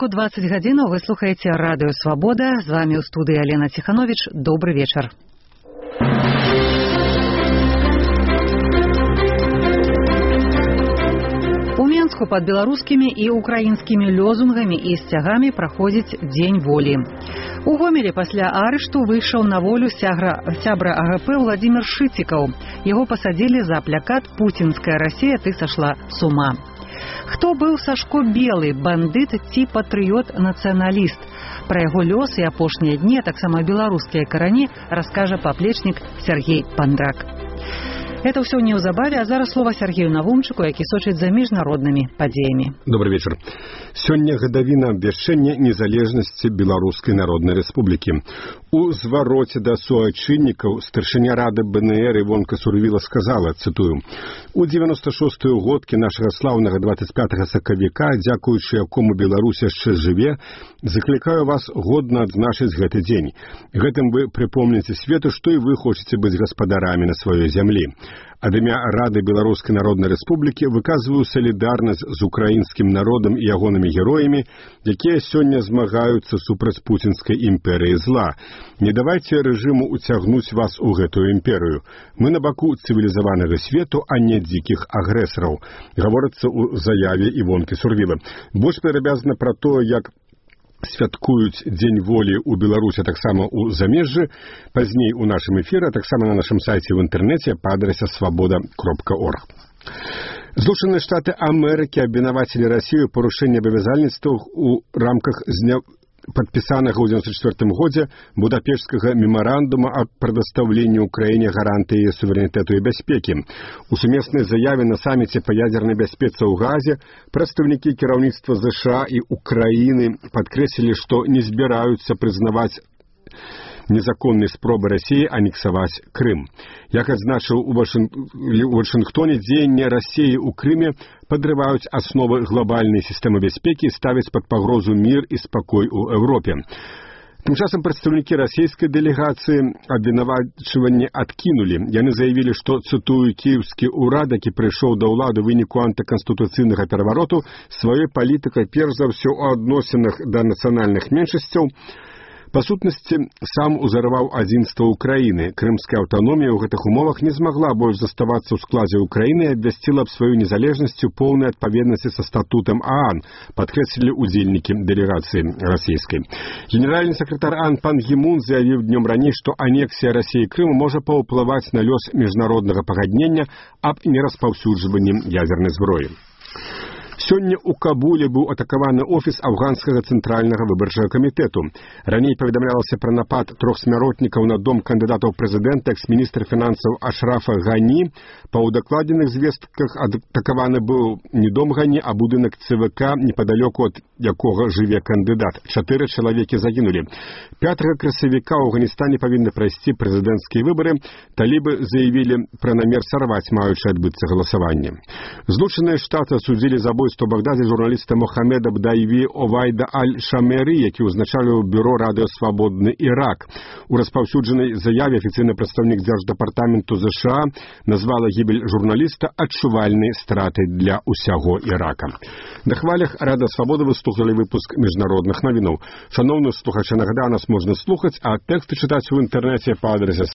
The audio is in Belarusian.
Беларуску 20 гадзінаў вы слухаеце радыё Свабода. З вами ў студыі Алена Ціхановіч. Добры вечар. У Менску пад беларускімі і украінскімі лёзунгамі і сцягамі праходзіць Дзень волі. У Гомелі пасля арышту выйшаў на волю сябра АГП Владзімір Шыцікаў. Яго пасадзілі за плакат «Пуцінская Расія, ты сашла с ума». Хто быў Сашко Белы, бандыт ці патрыёт-нацыяналіст? Пра яго лёс і апошнія дні, а таксама беларускія карані, раскажа паплечнік Сергей Пандрак. Это ўсё неўзабаве, а зараз слова Сергею Навумчыку, які сочыць за міжнароднымі падзеямі. Добрый вечер. Сёння гадавіна абвяшчэння незалежнасці Беларускай Народнай Рэспублікі. У звароце да суайчыннікаў старшыня рады БНР Івонка Сурвіла сказала, цытую: «У 96-ю годкі нашага слаўнага 25 сакавіка, дзякуючы якому Беларусь яшчэ жыве, заклікаю вас годна адзначыць гэты дзень. Гэтым вы прыпомніце свету, што і вы хочаце быць гаспадарамі на сваёй зямлі. Ад імя Рады Беларускай Народнай Рэспублікі выказваю салідарнасць з украінскім народам і ягонымі героямі, якія сёння змагаюцца супраць пуцінскай імперыі зла. Не давайце рэжыму уцягнуць вас у гэтую імперыю. Мы на баку цывілізаванага свету, а не дзікіх агрэсараў», гаворыцца ў заяве Івонкі Сурвіла. Больш падрабязна пра тое, як святкуюць Дзень волі ў Беларусі, таксама ў замежжы, пазней у нашым эфіры, таксама на нашым сайце ў інтэрнэце па адрасе свабода.орг. Злучаныя Штаты Амерыкі абвінавацілі Расію ў парушэнні абавязальніцтваў у рамках падпісанага ў 1994 годзе Будапешцкага мемарандума аб прадастаўленні ўкраіне гарантыі яе суверэнітэту і бяспекі. У сумеснай заяве на саміце па ядзернай бяспецы ў Газе прадстаўнікі кіраўніцтва ЗША і Украіны падкрэслілі, што не збіраюцца прызнаваць незаконнай спробы Расіі анексаваць Крым. Як адзначыў у Вашынгтоне, дзеянні Расіі ў Крыме падрываюць асновы глобальнай сістэмы бяспекі і ставяць пад пагрозу мір і спакой у Еўропе. Тым часам прадстаўнікі расійскай дэлегацыі абвінавачванні адкінулі. Яны заявілі, што, цытую, кіеўскі ўрад, які прыйшоў да ўлады ў выніку антыканстытуцыйнага перавароту, сваёй палітыкай перш за ўсё у адносінах да нацыянальных меншасцяў па сутнасці сам узарваў адзінства ўкраіны. Крымская аўтаномія ў гэтых умовах не змагла больш заставацца ў складзе ўкраіны і абвясціла б сваю незалежнасць у поўнай адпаведнасці са статутам ААН, падкрэслілі ўдзельнікі дэлегацыі расійскай. Генеральны сакратар ААН пан Гі Мун заявіў днём раней, што анексія Расіі Крыму можа паўплываць на лёс міжнароднага пагаднення аб нераспаўсюджванні ядзернай зброі. Сёння ў Кабуле быў атакаваны офіс афганскага цэнтральнага выбарчага камітэту. Раней паведамлялася пра напад 3 смяротнікаў на дом кандыдата ў прэзідэнта экс-міністр фінансаў Ашрафа Гані. Па ўдакладзеных звестках атакаваны быў не дом Гані, а будынак ЦВК, непадалёку ад якога жыве кандыдат. 4 чалавекі загінулі. 5 красавіка ў Афганістане павінны прайсці прэзідэнцкія выбары. Талібы заявілі пра намер сарваць маючы адбыцца галасаванне. Злучаныя Штаты асудзілі забойства у Багдазе журналіста Мохамеда Бдайві Овайда Аль-Шамері, які ўзначаліў бюро радыё «Свабодны Ірак». У распаўсюджанай заяве афіцыйны прадстаўнік Дзярждапартаменту ЗША назвала гібель журналіста адчувальнай стратай для ўсяго Ірака. На хвалях Рада Свабоды вы слухалі выпуск міжнародных навінаў. Шаноўныя слухачы, нагадаю, нас можна слухаць, а тэксты чытаць у інтэрнэце па адрасе